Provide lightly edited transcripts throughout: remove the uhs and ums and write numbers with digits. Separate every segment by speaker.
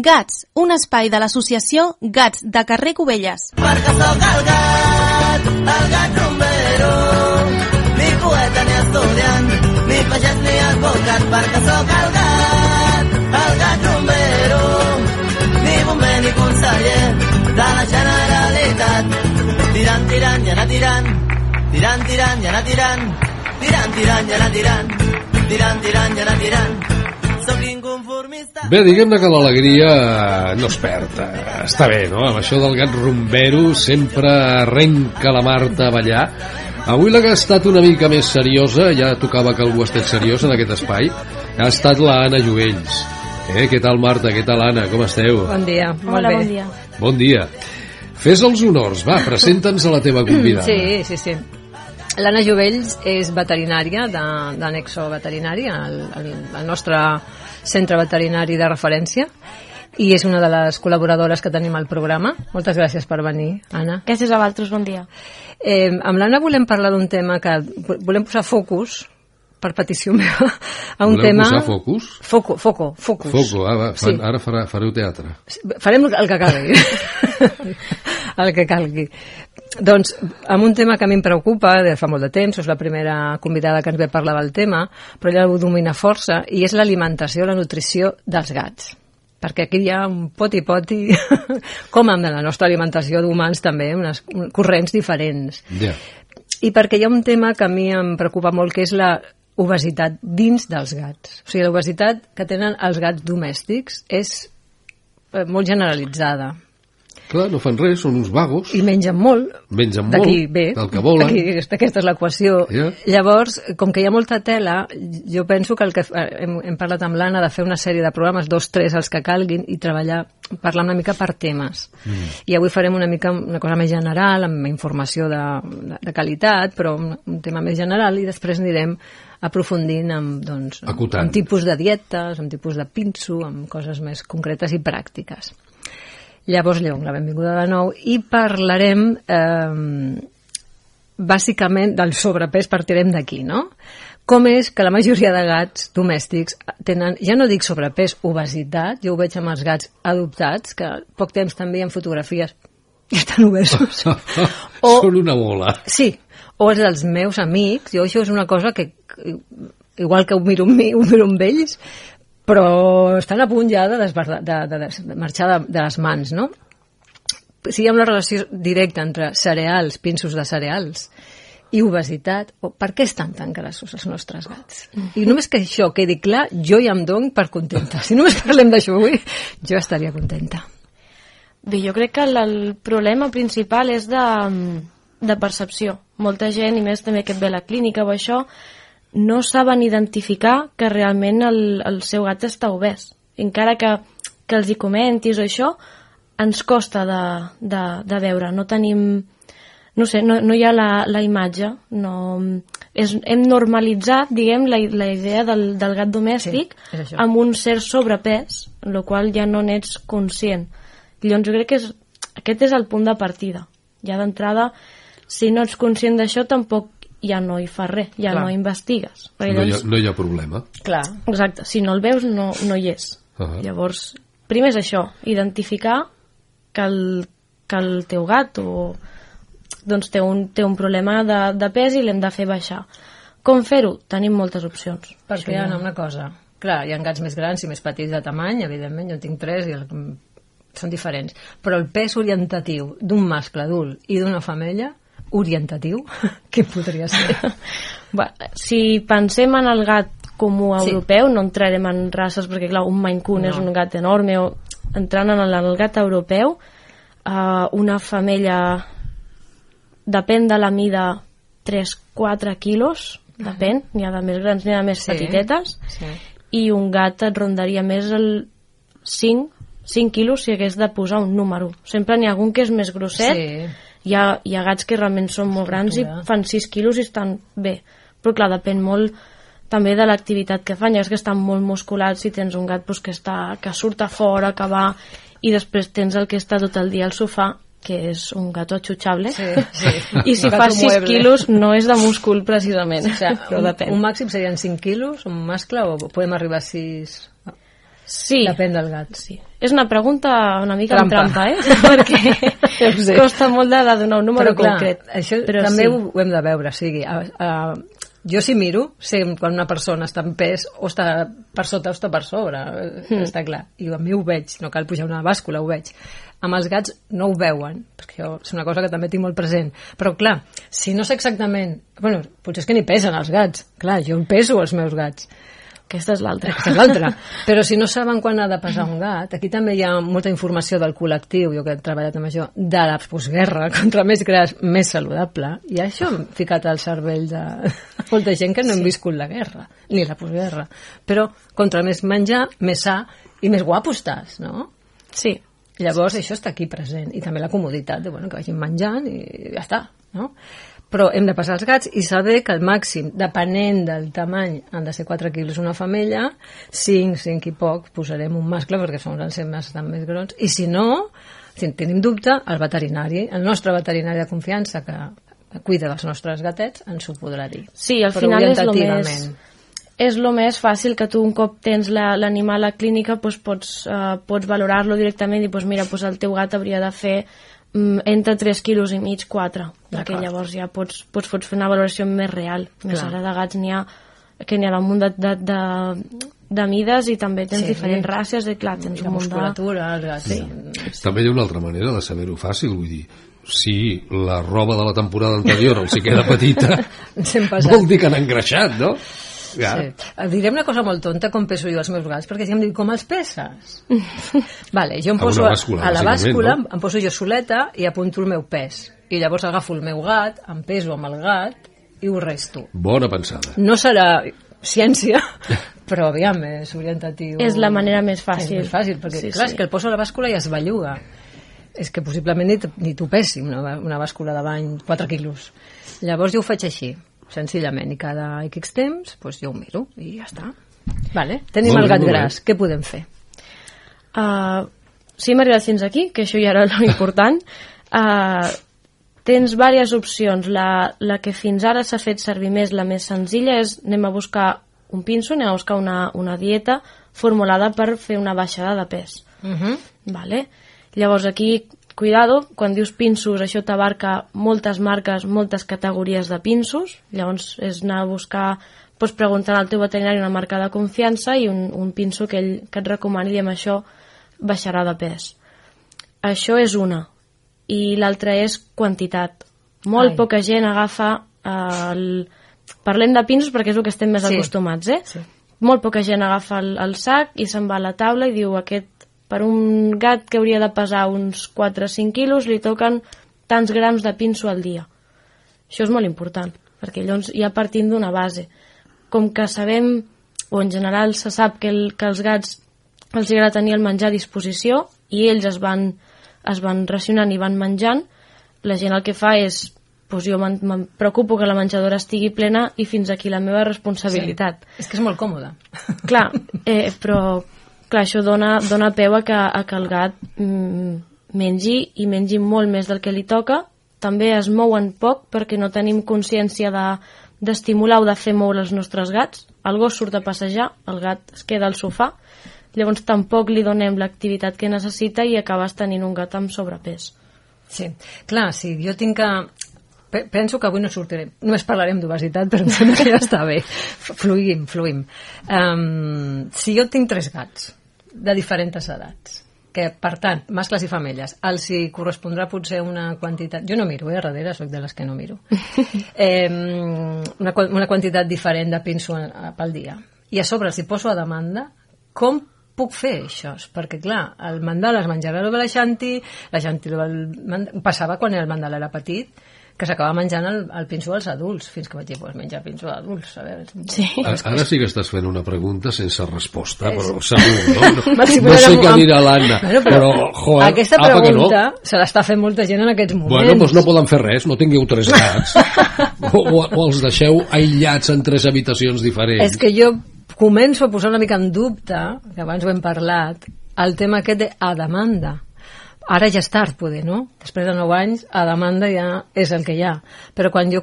Speaker 1: Gats, un espai de l'associació Gats de carrer Cubelles.
Speaker 2: Perquè sóc el gat rumbero, ni poeta ni estudiant, ni pagès ni advocat, perquè sóc el gat rumbero, ni bomber ni conseller de la Generalitat. Tirant, tirant i anar tirant, tirant, tirant i anar tirant, tirant, tirant i anar tirant, tirant, tirant i anar tirant.
Speaker 3: Bé, diguem-ne que l'alegria no es perd. Està bé, no? Amb això del gat rumbero sempre arrenca la Marta a ballar. Avui la que ha estat una mica més seriosa, ja tocava que algú estés seriós en aquest espai, ha estat la Anna Jovells. Què tal, Marta? Què tal, Anna? Com esteu?
Speaker 4: Bon dia, molt bé.
Speaker 1: Bon dia.
Speaker 3: Bon dia. Fes els honors, va, presenta'ns a la teva convidada.
Speaker 4: Sí. L'Anna Jovells és veterinària de Nexo Veterinari, el nostre centre veterinari de referència, i és una de les col·laboradores que tenim al programa. Moltes gràcies per venir, Anna.
Speaker 1: Gràcies a vosaltres, bon dia.
Speaker 4: Amb l'Anna volem parlar d'un tema que volem posar focus, per petició meva, a un tema...
Speaker 3: Volem posar focus?
Speaker 4: Focus.
Speaker 3: Foco, va, sí. Ara fareu teatre.
Speaker 4: Farem el que calgui. El que calgui. Doncs, amb un tema que a mi em preocupa de fa molt de temps, és la primera convidada que ens ve a parlar del tema, però ella ho domina força, i és l'alimentació, la nutrició dels gats. Perquè aquí hi ha un poti-poti, com amb la nostra alimentació d'humans també, unes corrents diferents.
Speaker 3: Yeah.
Speaker 4: I perquè hi ha un tema que a mi em preocupa molt, que és la obesitat dins dels gats. O sigui, l'obesitat que tenen els gats domèstics és molt generalitzada.
Speaker 3: Clar, no fan res, són uns vagos.
Speaker 4: I mengen molt. D'aquí ve.
Speaker 3: Del que volen.
Speaker 4: Aquesta és l'equació. Yeah. Llavors, com que hi ha molta tela, jo penso que hem parlat amb l'Anna de fer una sèrie de programes, 2, 3, els que calguin, i parlar una mica per temes. I avui farem una cosa més general, amb informació de qualitat, però un tema més general, i després anirem aprofundint amb tipus de dietes, amb tipus de pinso, amb coses més concretes i pràctiques. Llavors, la benvinguda de nou, i parlarem bàsicament del sobrepès, partirem d'aquí, no? Com és que la majoria de gats domèstics tenen, ja no dic sobrepès, obesitat, jo ho veig amb els gats adoptats, que poc temps també hi ha fotografies i estan obesos.
Speaker 3: Són una bola.
Speaker 4: Sí, o els dels meus amics, jo això és una cosa que, igual que ho miro amb ells, però estan a punt ja de marxar de les mans, no? Si hi ha una relació directa entre cereals, pinsos de cereals, i obesitat, per què estan tan grassos els nostres gats? I només que això quedi clar, jo ja em dono per contenta. Si només parlem d'això avui, jo estaria contenta.
Speaker 5: Bé, jo crec que el problema principal és de percepció. Molta gent, i més també que et ve a la clínica o això, no saben identificar que realment el seu gat està obès. Encara que els hi comentis o això, ens costa de veure. No tenim... No sé, no hi ha la imatge. Hem normalitzat, diguem, la idea del gat domèstic amb un cert sobrepès, en la qual ja no n'ets conscient. Llavors jo crec que aquest és el punt de partida. Ja d'entrada, si no ets conscient d'això, tampoc ja no hi fa res, ja no investigues.
Speaker 3: No hi ha problema.
Speaker 4: Clar.
Speaker 5: Exacte, si no el veus no hi és. Llavors, primer és això, identificar que el teu gat té un problema de pes i l'hem de fer baixar. Com fer-ho? Tenim moltes opcions.
Speaker 4: Perquè hi ha una cosa, clar, hi ha gats més grans i més petits de tamany, evidentment, jo en tinc 3 i són diferents, però el pes orientatiu d'un mascle adult i d'una femella orientatiu, què podria ser?
Speaker 5: Si pensem en el gat comú europeu, no entrarem en races perquè clar, un Maine Coon és un gat enorme, o entrant en el gat europeu, una femella depèn de la mida 3-4 quilos, depèn, n'hi ha de més grans, n'hi ha de més petitetes, i un gat et rondaria més el 5 quilos si hagués de posar un número. Sempre n'hi ha algun que és més grosset, hi ha gats que realment són molt grans i fan 6 quilos i estan bé, però clar, depèn molt també de l'activitat que fan. Hi ha que estan molt musculats, si tens un gat que surt a fora, que va, i després tens el que està tot el dia al sofà, que és un gato atxutxable, i si fa 6 quilos no és de múscul precisament, però depèn.
Speaker 4: Un màxim serien 5 quilos, un mascle, o podem arribar a 6...
Speaker 5: Sí.
Speaker 4: Depèn del gat.
Speaker 5: Sí. És una pregunta una mica amb trampa, perquè costa molt de donar un número concret.
Speaker 4: Això també ho hem de veure, o sigui, jo si miro, sé quan una persona està en pes o està per sota o està per sobre, està clar, i a mi ho veig, no cal pujar una bàscula, ho veig. Amb els gats no ho veuen, perquè això és una cosa que també tinc molt present, però clar, si no sé exactament, bueno, potser és que ni pesen els gats, clar, jo peso els meus gats.
Speaker 5: Aquesta és l'altra.
Speaker 4: Però si no saben quan ha de pesar un gat, aquí també hi ha molta informació del col·lectiu, jo que he treballat amb això, de la postguerra, contra més gras, més saludable, i això hem ficat al cervell de molta gent que no hem viscut la guerra, ni la postguerra. Però contra més menjar, més sa i més guapo estàs, no?
Speaker 5: Sí.
Speaker 4: Llavors això està aquí present, i també la comoditat de que vagin menjant i ja està, no? Però hem de passar els gats i saber que el màxim, depenent del tamany, han de ser 4 quilos una femella, 5 i poc, posarem un mascle perquè són els bastant més grans, i si no, si tenim dubte, el veterinari, el nostre veterinari de confiança que cuida dels nostres gatets, ens ho podrà dir.
Speaker 5: Sí, al final és el més fàcil que tu un cop tens l'animal a la clínica pots valorar-lo directament i mira, el teu gat hauria de fer entre 3 quilos i mig, 4, perquè llavors ja pots fer una valoració més real. Més ara de gats n'hi ha un munt de mides i també tens diferents races i clar, tens un munt de
Speaker 4: musculatura, els gats.
Speaker 3: Sí. També hi ha una altra manera de saber-ho fàcil, vull dir, si la roba de la temporada anterior els hi queda petita vol dir que han engreixat, no? Ja.
Speaker 4: Sí. Direm una cosa molt tonta com peso jo els meus gats, perquè si em diu com els peses? Vale, jo em poso a la bàscula, no? Em poso jo soleta i apunto el meu pes, i llavors agafo el meu gat, em peso amb el gat i ho resto.
Speaker 3: Bona pensada.
Speaker 4: No serà ciència, però aviam, és orientatiu.
Speaker 5: És la manera més fàcil.
Speaker 4: És més fàcil, perquè clar, és que el poso a la bàscula i es belluga. És que possiblement ni t'ho pesi una bàscula de bany 4 quilos. Llavors jo ho faig així, senzillament, i cada X temps jo ho miro i ja està. Vale. Tenim el gat gras, què podem fer?
Speaker 5: Si hem arribat fins aquí, que això ja era l'important, tens diverses opcions. La que fins ara s'ha fet servir més, la més senzilla, és anem a buscar un pinso, anem a buscar una dieta formulada per fer una baixada de pes. Vale? Llavors aquí, cuidado, quan dius pinsos, això t'abarca moltes marques, moltes categories de pinsos, llavors és anar a buscar, pots preguntar al teu veterinari una marca de confiança i un pinso que ell et recomani, i amb això baixarà de pes. Això és una. I l'altra és quantitat. Molt poca gent agafa parlem de pinsos perquè és el que estem més acostumats,
Speaker 4: Sí.
Speaker 5: Molt poca gent agafa el sac i se'n va a la taula i diu per un gat que hauria de pesar uns 4 o 5 quilos li toquen tants grams de pinso al dia. Això és molt important, perquè llavors ja partim d'una base. Com que sabem, o en general se sap que els gats els agrada tenir el menjar a disposició i ells es van racionant i van menjant, la gent el que fa és jo me'n preocupo que la menjadora estigui plena i fins aquí la meva responsabilitat.
Speaker 4: Sí. És que és molt còmode.
Speaker 5: Clar, però això dona peu a que el gat mengi molt més del que li toca. També es mouen poc perquè no tenim consciència d'estimular o de fer moure els nostres gats. El gos surt a passejar, el gat es queda al sofà, llavors tampoc li donem l'activitat que necessita i acabes tenint un gat amb sobrepès.
Speaker 4: Sí, clar, sí, jo tinc que... Penso que avui no sortirem, només parlarem d'obesitat, però em sembla que ja està bé. Fluïm. Si jo tinc 3 gats de diferents edats, que per tant, mascles i femelles, els hi correspondrà potser una quantitat, jo no miro, a darrere soc de les que no miro, una quantitat diferent de pinso pel dia, i a sobre els hi poso a demanda, com puc fer això? Perquè clar, el mandal es menjava de la Xanti passava quan el mandal era petit, que s'acaba menjant el pinso als adults, fins que vaig dir, menjar pinso als adults, a veure...
Speaker 5: Sí.
Speaker 3: Ara sí que estàs fent una pregunta sense resposta, però segur, no? No sé què dirà l'Anna, però, joder,
Speaker 4: aquesta pregunta se l'està fent molta gent en aquests moments.
Speaker 3: Bueno, doncs no poden fer res, no tingueu 3 gats, o els deixeu aïllats en 3 habitacions diferents.
Speaker 4: És que jo començo a posar una mica en dubte, que abans ho hem parlat, el tema aquest de a demanda. Ara ja és tard, poder, no? Després de 9 anys, a demanda ja és el que hi ha. Però quan jo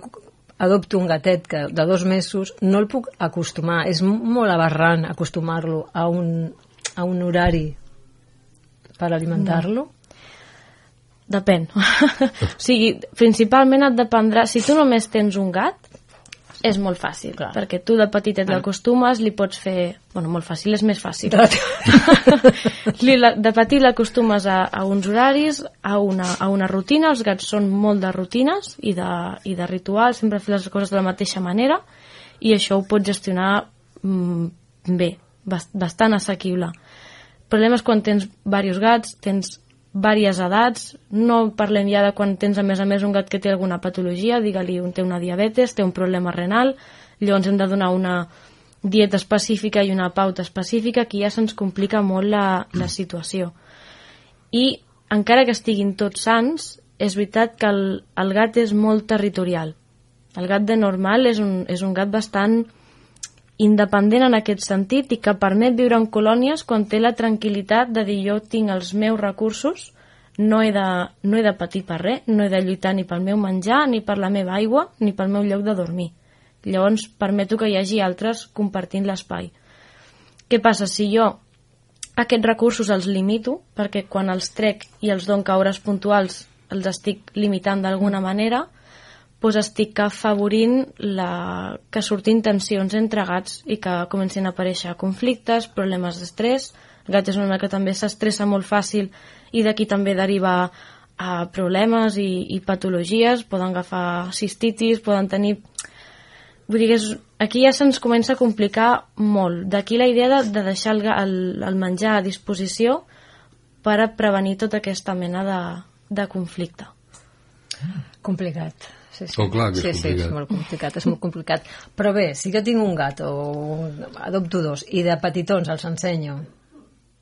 Speaker 4: adopto un gatet de 2 mesos, no el puc acostumar. És molt aberrant acostumar-lo a a un horari per alimentar-lo?
Speaker 5: Depèn. O sigui, principalment et dependrà... Si tu només tens un gat, és molt fàcil, clar, perquè tu de petitet l'acostumes, li pots fer... Bueno, molt fàcil, és més fàcil. De petit l'acostumes a uns horaris, a una rutina. Els gats són molt de rutines i de rituals, sempre fer les coses de la mateixa manera, i això ho pots gestionar bé, bastant assequible. El problema és quan tens diversos gats, tens diverses edats, no parlem ja de quan tens a més un gat que té alguna patologia, digue-li, té una diabetes, té un problema renal, llavors hem de donar una dieta específica i una pauta específica, que ja se'ns complica molt la situació. I encara que estiguin tots sans, és veritat que el gat és molt territorial. El gat de normal és un gat bastant independent en aquest sentit i que permet viure en colònies quan té la tranquil·litat de dir jo tinc els meus recursos, no he de patir per res, no he de lluitar ni pel meu menjar, ni per la meva aigua, ni pel meu lloc de dormir. Llavors permeto que hi hagi altres compartint l'espai. Què passa? Si jo aquests recursos els limito, perquè quan els trec i els dono a hores puntuals els estic limitant d'alguna manera, doncs estic afavorint que surtin tensions entre gats i que comencin a aparèixer conflictes, problemes d'estrès. El gat és un animal que també s'estressa molt fàcil i d'aquí també deriva a problemes i patologies, poden agafar cistitis, poden tenir... Vull dir que aquí ja se'ns comença a complicar molt. D'aquí la idea de deixar el menjar a disposició per a prevenir tota aquesta mena de conflicte.
Speaker 4: Complicat. Sí.
Speaker 3: Oh, clar que és
Speaker 4: complicat. És molt complicat. Però bé, si jo tinc un gat o adopto dos i de petitons els ensenyo,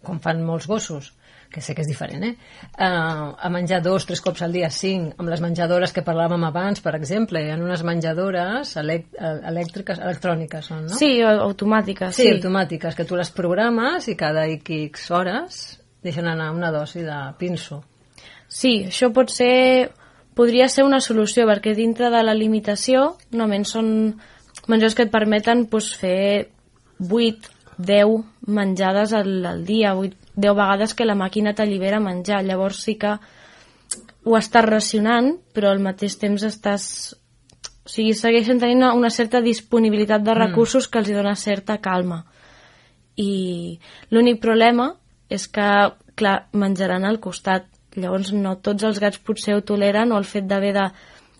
Speaker 4: com fan molts gossos, que sé que és diferent, a menjar 2-3 cops al dia, 5, amb les menjadores que parlàvem abans, per exemple, hi ha unes menjadores electròniques, no?
Speaker 5: Sí, automàtiques.
Speaker 4: Sí, automàtiques, que tu les programes i cada X hores deixen anar una dosi de pinso.
Speaker 5: Sí, això podria ser una solució, perquè dintre de la limitació només són menjadors que et permeten fer 8, 10 menjades al dia, 10 vegades que la màquina t'allibera menjar. Llavors sí que ho estàs racionant, però al mateix temps segueixen tenint una certa disponibilitat de recursos que els dona certa calma. I l'únic problema és que, clar, menjaran al costat. Llavors no tots els gats potser ho toleren, o el fet d'haver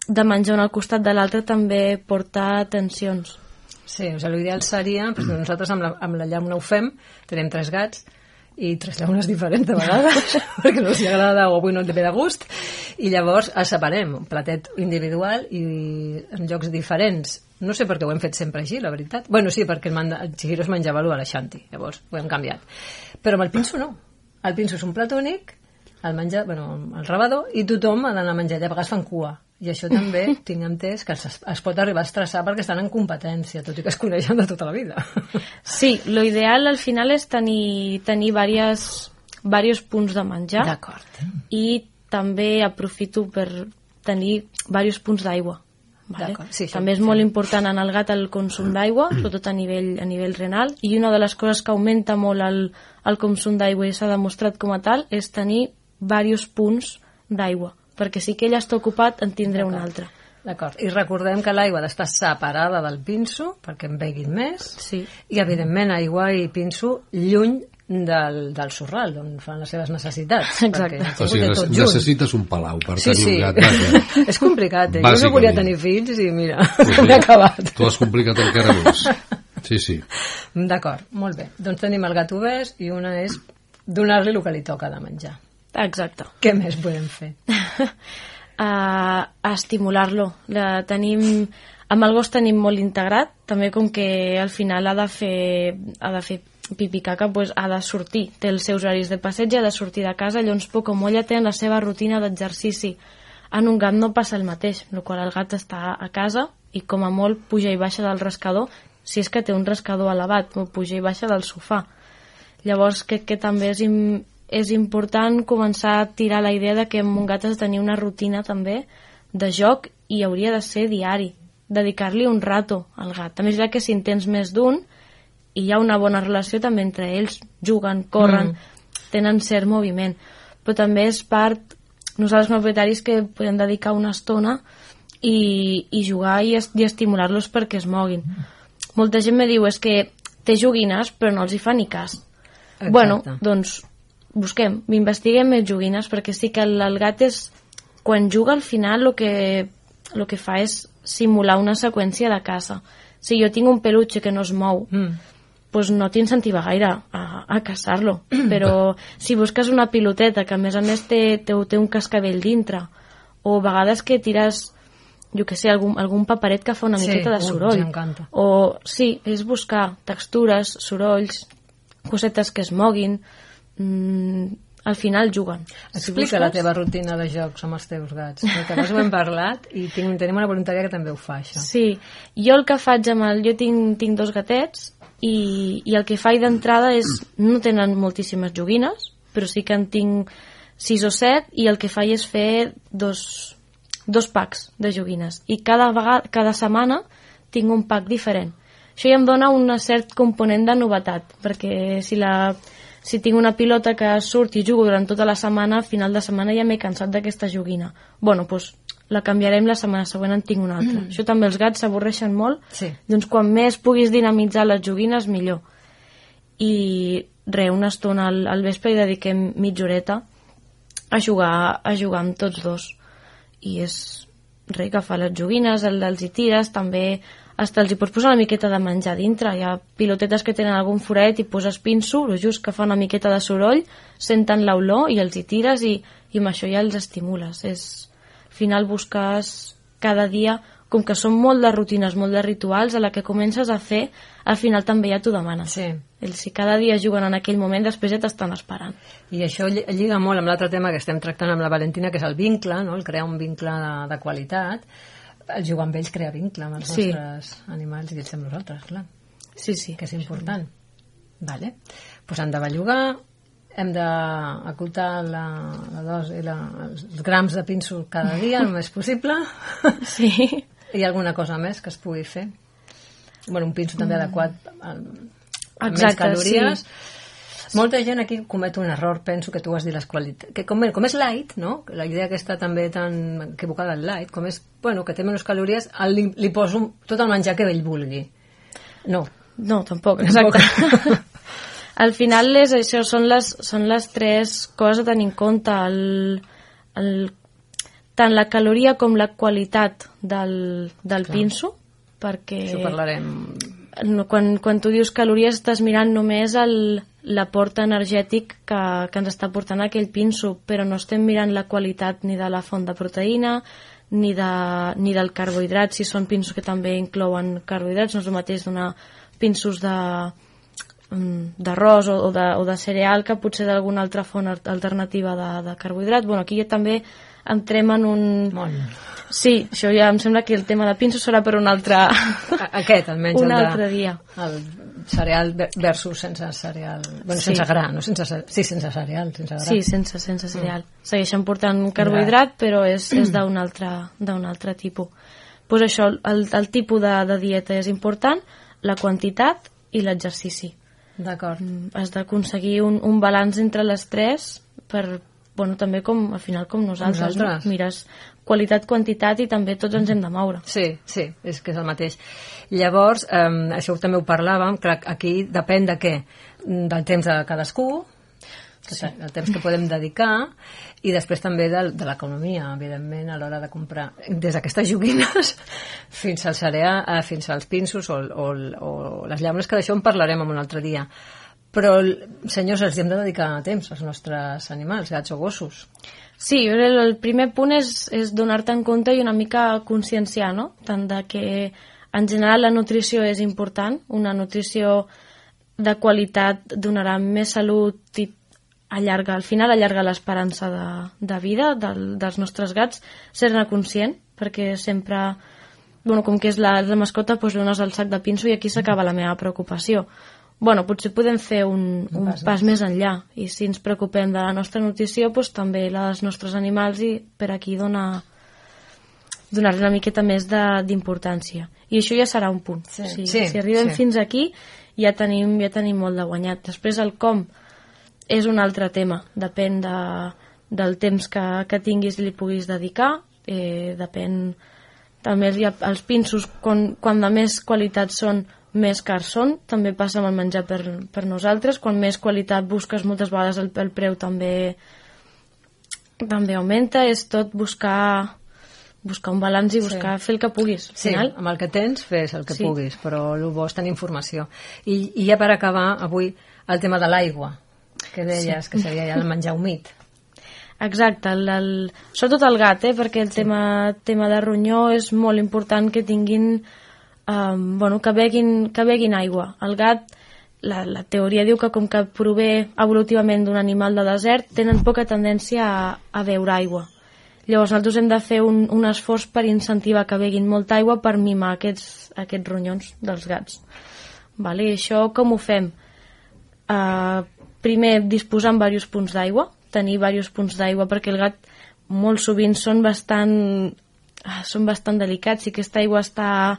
Speaker 5: de menjar un al costat de l'altre també porta tensions.
Speaker 4: Sí, l'ideal seria, perquè nosaltres amb la llauna ho fem, tenim 3 gats i 3 llaunes diferents de vegades, perquè no els agrada o avui no et ve de gust, i llavors els separem, un platet individual i en llocs diferents. No sé per què ho hem fet sempre així, la veritat. Bueno, sí, perquè el Chihiro es menjava a l'Aixanti, llavors ho hem canviat. Però amb el pinso no. El pinso és un plat únic, el rebador, i tothom ha d'anar a menjar, i a vegades fan cua. I això també tinc entès que es pot arribar a estressar perquè estan en competència, tot i que es coneixen de tota la vida.
Speaker 5: Sí, l'ideal al final és tenir diversos punts de menjar.
Speaker 4: D'acord.
Speaker 5: I també aprofito per tenir diversos punts d'aigua. Vale? Sí, també és molt important en el gat el consum d'aigua, sobretot a nivell renal, i una de les coses que augmenta molt el consum d'aigua i s'ha demostrat com a tal és tenir diversos punts d'aigua, perquè si que ell està ocupat en tindré un altre.
Speaker 4: D'acord, i recordem que l'aigua ha d'estar separada del pinso perquè en beguin més,
Speaker 5: sí.
Speaker 4: I evidentment aigua i pinso lluny del sorral on fan les seves necessitats.
Speaker 5: Exacte.
Speaker 3: O sigui, necessites un palau per tenir un gat.
Speaker 4: És complicat, Jo no volia tenir fills i mira, m'he acabat.
Speaker 3: Tu has complicat encara més. Sí.
Speaker 5: D'acord,
Speaker 4: molt bé. Doncs tenim el gat obès i una és donar-li el que li toca de menjar.
Speaker 5: Exacte.
Speaker 4: Què més podem fer?
Speaker 5: A estimular-lo. Amb el gos tenim molt integrat, també com que al final ha de fer pipi caca, doncs ha de sortir, té els seus horaris de passeig, ha de sortir de casa, llavors poc o molt ja té la seva rutina d'exercici. En un gat no passa el mateix, en el qual el gat està a casa i com a molt puja i baixa del rascador, si és que té un rascador elevat, o puja i baixa del sofà. Llavors crec que també és important començar a tirar la idea de que amb un gat has de tenir una rutina també de joc i hauria de ser diari, dedicar-li un rato al gat. També és veritat que si en tens més d'un hi ha una bona relació també entre ells, juguen, corren, tenen cert moviment, però també és part, nosaltres com a propietaris, que podem dedicar una estona i jugar i estimular-los perquè es moguin. Molta gent me diu, és que té joguines però no els hi fa ni cas.
Speaker 4: Exacte.
Speaker 5: Bueno, doncs busquem, investiguem més joguines, perquè sí que el gat és, quan juga al final el que fa és simular una seqüència de caça. Si jo tinc un peluche que no es mou, doncs no t'incentiva gaire a caçar-lo, però si busques una piloteta que a més té un cascavell dintre, o a vegades que tires, jo que sé, algun paperet que fa una miqueta de soroll, o sí, és buscar textures, sorolls, cosetes que es moguin, al final juguen.
Speaker 4: Explica la teva rutina de jocs amb els teus gats, perquè abans ho hem parlat i tenim una voluntària que també ho fa, això.
Speaker 5: Sí, jo el que faig jo tinc 2 gatets i el que faig d'entrada és, no tenen moltíssimes joguines, però sí que en tinc 6 o 7 i el que faig és fer dos packs de joguines i cada setmana tinc un pack diferent. Això ja em dona un cert component de novetat, perquè si tinc una pilota que surt i jugo durant tota la setmana, al final de setmana ja m'he cansat d'aquesta joguina. Bueno, doncs la canviarem, la setmana següent en tinc una altra. Això també els gats s'avorreixen molt, doncs quan més puguis dinamitzar les joguines, millor. I una estona al vespre hi dediquem mitja horeta a jugar amb tots dos. I és agafar les joguines, els hi tires, també hasta els hi pots posar una miqueta de menjar dintre. Hi ha pilotetes que tenen algun foret i poses pinso, just que fa una miqueta de soroll, senten l'olor i els hi tires i amb això ja els estimules. Al final busques cada dia, com que són molt de rutines, molt de rituals, a la que comences a fer, al final també ja t'ho demanes.
Speaker 4: Sí.
Speaker 5: Si cada dia juguen en aquell moment, després ja t'estan esperant.
Speaker 4: I això lliga molt amb l'altre tema que estem tractant amb la Valentina, que és el vincle, no? El crear un vincle de qualitat. El jugar amb ells crea vincle amb els nostres animals i ells amb nosaltres, clar.
Speaker 5: Sí.
Speaker 4: Que és important. Vale. Pues han de bellugar, hem d'acotar la dosi, els grams de pinso cada dia, el més possible.
Speaker 5: Sí.
Speaker 4: Hi ha alguna cosa més que es pugui fer? Bueno, un pinso també adequat amb més calories. Sí. Molta gent aquí comet un error, penso que tu has dit les qualitats, que com és light, no? La idea aquesta també tan equivocada del light, com és, bueno, que té menys calories, li poso tot el menjar que ell vulgui. No,
Speaker 5: tampoc, exacte. Al final això són les 3 coses a tenir en compte, tant la caloria com la qualitat del pinso, perquè
Speaker 4: això parlarem.
Speaker 5: Quan tu dius calories estàs mirant només l'aport energètic que ens està portant aquell pinso, però no estem mirant la qualitat ni de la font de proteïna ni del carbohidrat, si són pinsos que també inclouen carbohidrats. No és el mateix donar pinsos d'arròs o de cereal que potser d'alguna altra font alternativa de carbohidrat. Bueno, aquí ja també entrem en un... Sí, això ja em sembla que el tema de pinso serà per un altre...
Speaker 4: Aquest, almenys.
Speaker 5: Un altre dia.
Speaker 4: El cereal versus sense cereal. Bueno, sense gra, no? Sense cereal, sense gra.
Speaker 5: Sí, sense cereal. Segueixen portant carbohidrat, però és d'un altre tipus. Pues això, el tipus de dieta és important, la quantitat i l'exercici.
Speaker 4: D'acord.
Speaker 5: Has d'aconseguir un balanç entre les 3 per... Bueno, també al final com nosaltres. No? Mires qualitat, quantitat i també tots ens hem de moure.
Speaker 4: Sí, és que és el mateix. Llavors, això també ho parlàvem, que aquí depèn de què? Del temps de cadascú, el temps que podem dedicar, i després també de l'economia, evidentment, a l'hora de comprar. Des d'aquestes joguines fins al cereal, fins als pinsos o les llaunes, que d'això en parlarem en un altre dia. Però, senyors, els hem de dedicar temps als nostres animals, gats o gossos.
Speaker 5: Sí, el primer punt és donar-te en compte i una mica conscienciar, no? Tant de que, en general, la nutrició és important. Una nutrició de qualitat donarà més salut i al final allarga l'esperança de vida dels nostres gats. Ser-ne conscient, perquè sempre... Bueno, com que és la mascota, doncs dones el sac de pinso i aquí s'acaba la meva preocupació. Bueno, potser podem fer un pas més enllà, i si ens preocupem de la nostra nutrició, doncs també la dels nostres animals, i per aquí donar-li una miqueta més d'importància. I això ja serà un punt. Si arribem fins aquí ja tenim molt de guanyat. Després el com és un altre tema, depèn del temps que tinguis i li puguis dedicar, depèn també els pinços, quan de més qualitat són, més cars són, també passa amb el menjar per nosaltres, quan més qualitat busques moltes vegades el preu també augmenta, és tot buscar un balanç i buscar fer el que puguis.
Speaker 4: Sí, amb el que tens fes el que puguis, però el bo és tenir informació. I ja per acabar avui el tema de l'aigua, que deies que seria ja el menjar humit.
Speaker 5: Exacte, sobretot el gat, perquè el tema de ronyó és molt important que tinguin, que beguin aigua. El gat, la teoria diu que com que prové evolutivament d'un animal de desert, tenen poca tendència a beure aigua. Llavors nosaltres hem de fer un esforç per incentivar que beguin molta aigua per mimar aquests ronyons dels gats. I això com ho fem? Primer, disposar en diversos punts d'aigua, tenir diversos punts d'aigua, perquè el gat molt sovint són bastant delicats. Si aquesta aigua està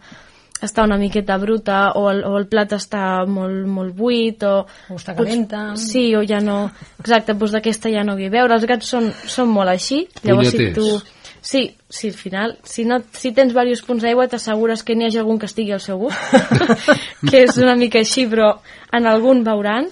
Speaker 5: una miqueta bruta o el plat està molt buit o
Speaker 4: està calenta.
Speaker 5: Sí, o ja no... Exacte, doncs d'aquesta ja no vull beure. Els gats són molt així. Llavors, si tu... Sí, al final, si tens diversos punts d'aigua, t'assegures que n'hi hagi algun que estigui al seu gust, que és una mica així, però en algun veuran.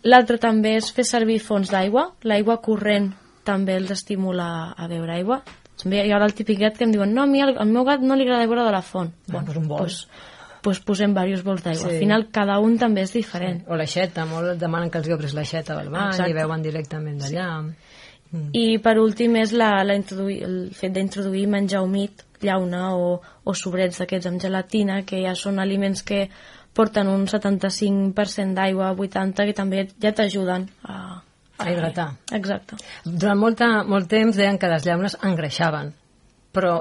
Speaker 5: L'altre també és fer servir fonts d'aigua. L'aigua corrent també els estimula a beure aigua. Hi ha el típic gat que em diuen no, a mi al meu gat no li agrada beure de la font. Doncs posem diversos bols d'aigua. Al final cada un també és diferent.
Speaker 4: O l'aixeta, molt et demanen que els obris l'aixeta del bany i beuen directament d'allà.
Speaker 5: I per últim és el fet d'introduir menjar humit, llauna o sobrets d'aquests amb gelatina, que ja són aliments que porten un 75% d'aigua, 80%, que també ja t'ajuden a
Speaker 4: hidratar.
Speaker 5: Exacte.
Speaker 4: Durant molt temps deien que les llaunes engreixaven,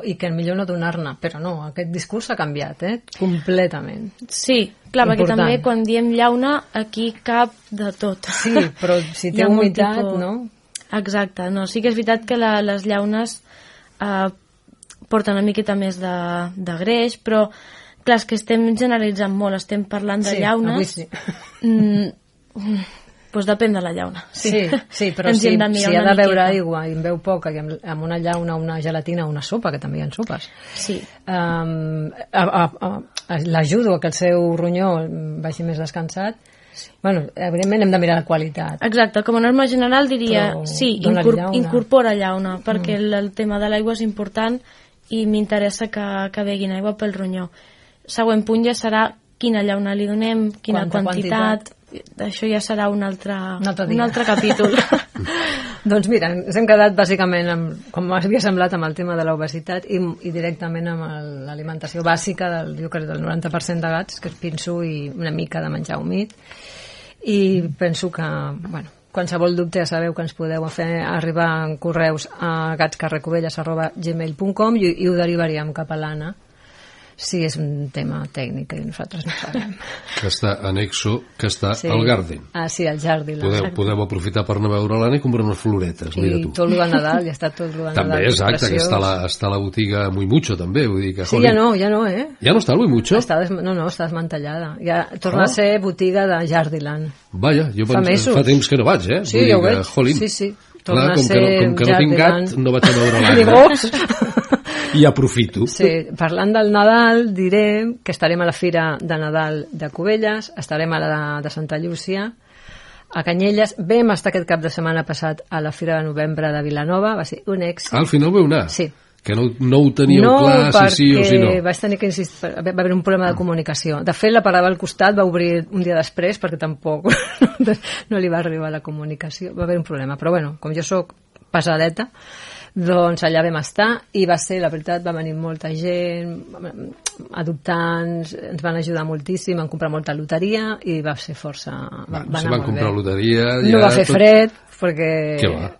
Speaker 4: i que millor no donar-ne, però no, aquest discurs s'ha canviat, completament.
Speaker 5: Sí, clar, perquè també quan diem llauna aquí cap de tot.
Speaker 4: Sí, però si té humitat, no?
Speaker 5: Exacte, no, sí que és veritat que les llaunes porten una miqueta més de greix, però clar, és que estem generalitzant molt, estem parlant de llaunes.
Speaker 4: Sí, avui sí.
Speaker 5: Doncs depèn de la llauna.
Speaker 4: Sí, però si ha de beure aigua i en veu poca, i amb una llauna, una gelatina, una sopa, que també hi ha sopes,
Speaker 5: sí.
Speaker 4: L'ajudo a que el seu ronyó vagi més descansat. Bueno, evidentment hem de mirar la qualitat.
Speaker 5: Exacte, com a norma general diria sí, incorpora llauna, perquè el tema de l'aigua és important i m'interessa que beguin aigua pel ronyó. Següent punt ja serà quina llauna li donem, quina quantitat. Això ja serà un altre capítol.
Speaker 4: Doncs mira, ens hem quedat bàsicament, com havia semblat, amb el tema de l'obesitat i directament amb l'alimentació bàsica del 90% de gats, que és pinso i una mica de menjar humit. I penso que, qualsevol dubte ja sabeu que ens podeu fer arribar en correus a gatscarrecovelles@gmail.com i ho derivaríem cap a l'Anna si és un tema tècnic i nosaltres no sabem.
Speaker 3: Que està anexo, que està al Garden.
Speaker 4: Sí, al Jardí.
Speaker 3: Podeu aprofitar per anar a veure l'Anna i comprar unes floretes.
Speaker 4: I tot el de Nadal, ja està tot el de Nadal.
Speaker 3: També, exacte, que està a la botiga Muy Mucho, també. Vull dir que,
Speaker 4: sí, ja no, eh?
Speaker 3: Ja no està el Muy Mucho?
Speaker 4: Està desmantellada. Ja torna a ser botiga de Jardiland.
Speaker 3: Vaja, jo fa temps que no vaig, eh?
Speaker 4: Sí, ja ho veig. Sí.
Speaker 3: Torna a ser com que no tinc gat, no vaig a veure l'Anna. I aprofito.
Speaker 4: Sí, parlant del Nadal, diré que estarem a la Fira de Nadal de Cubelles, estarem a la de Santa Llúcia, a Canyelles, vam estar aquest cap de setmana passat a la Fira de Novembre de Vilanova, va ser un èxit.
Speaker 3: Al final vau anar?
Speaker 4: Sí.
Speaker 3: Que no ho teníeu clar, si sí o si no.
Speaker 4: No, vaig tenir que insistir, va haver un problema de comunicació. De fet, la parada al costat va obrir un dia després, perquè tampoc no li va arribar la comunicació. Va haver un problema, però bueno, com jo sóc pesadeta, doncs allà vam estar i va ser, la veritat, va venir molta gent, adoptants, ens van ajudar moltíssim, van comprar molta loteria i va ser força...
Speaker 3: Se van comprar loteria...
Speaker 4: No va fer fred, perquè...
Speaker 3: Què va?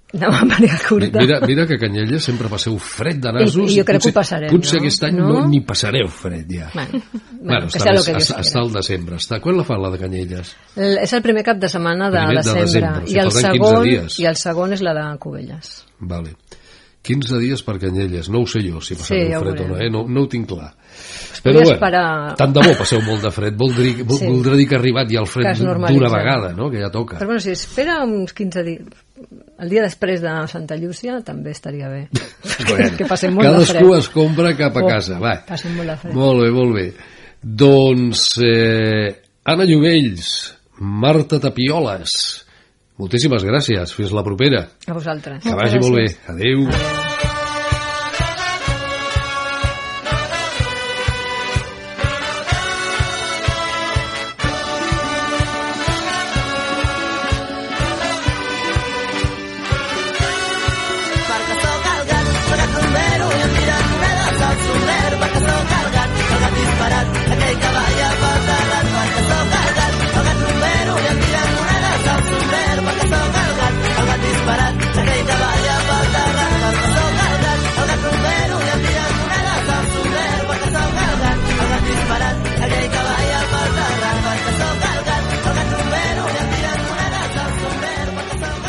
Speaker 4: No va venir a curta.
Speaker 3: Mira que a Canyelles sempre passeu fred de nasos.
Speaker 4: I jo crec que ho passarem,
Speaker 3: potser aquest any no ni passareu fred, ja.
Speaker 4: Bueno,
Speaker 3: està al desembre. Quan la fan, la de Canyelles?
Speaker 4: És el primer cap de setmana de desembre. I el segon és la de Cubelles.
Speaker 3: Vale. 15 dies per Canyelles, no ho sé jo si passarà un fred o no, no ho tinc clar.
Speaker 4: Però bueno,
Speaker 3: tant de bo passeu molt de fred, voldrà dir que ha arribat ja el fred d'una vegada, no? Que ja toca.
Speaker 4: Però bueno, si espera uns 15 dies, el dia després de Santa Llúcia també estaria bé. Que passem molt de fred.
Speaker 3: Cadascú es compra cap a casa, va.
Speaker 4: Passem molt de fred.
Speaker 3: Molt bé. Doncs Anna Llobells, Marta Tapioles, moltíssimes gràcies, fins la propera.
Speaker 4: A vosaltres.
Speaker 3: Que vagi molt bé, adeu.
Speaker 2: Aquell cavall a pata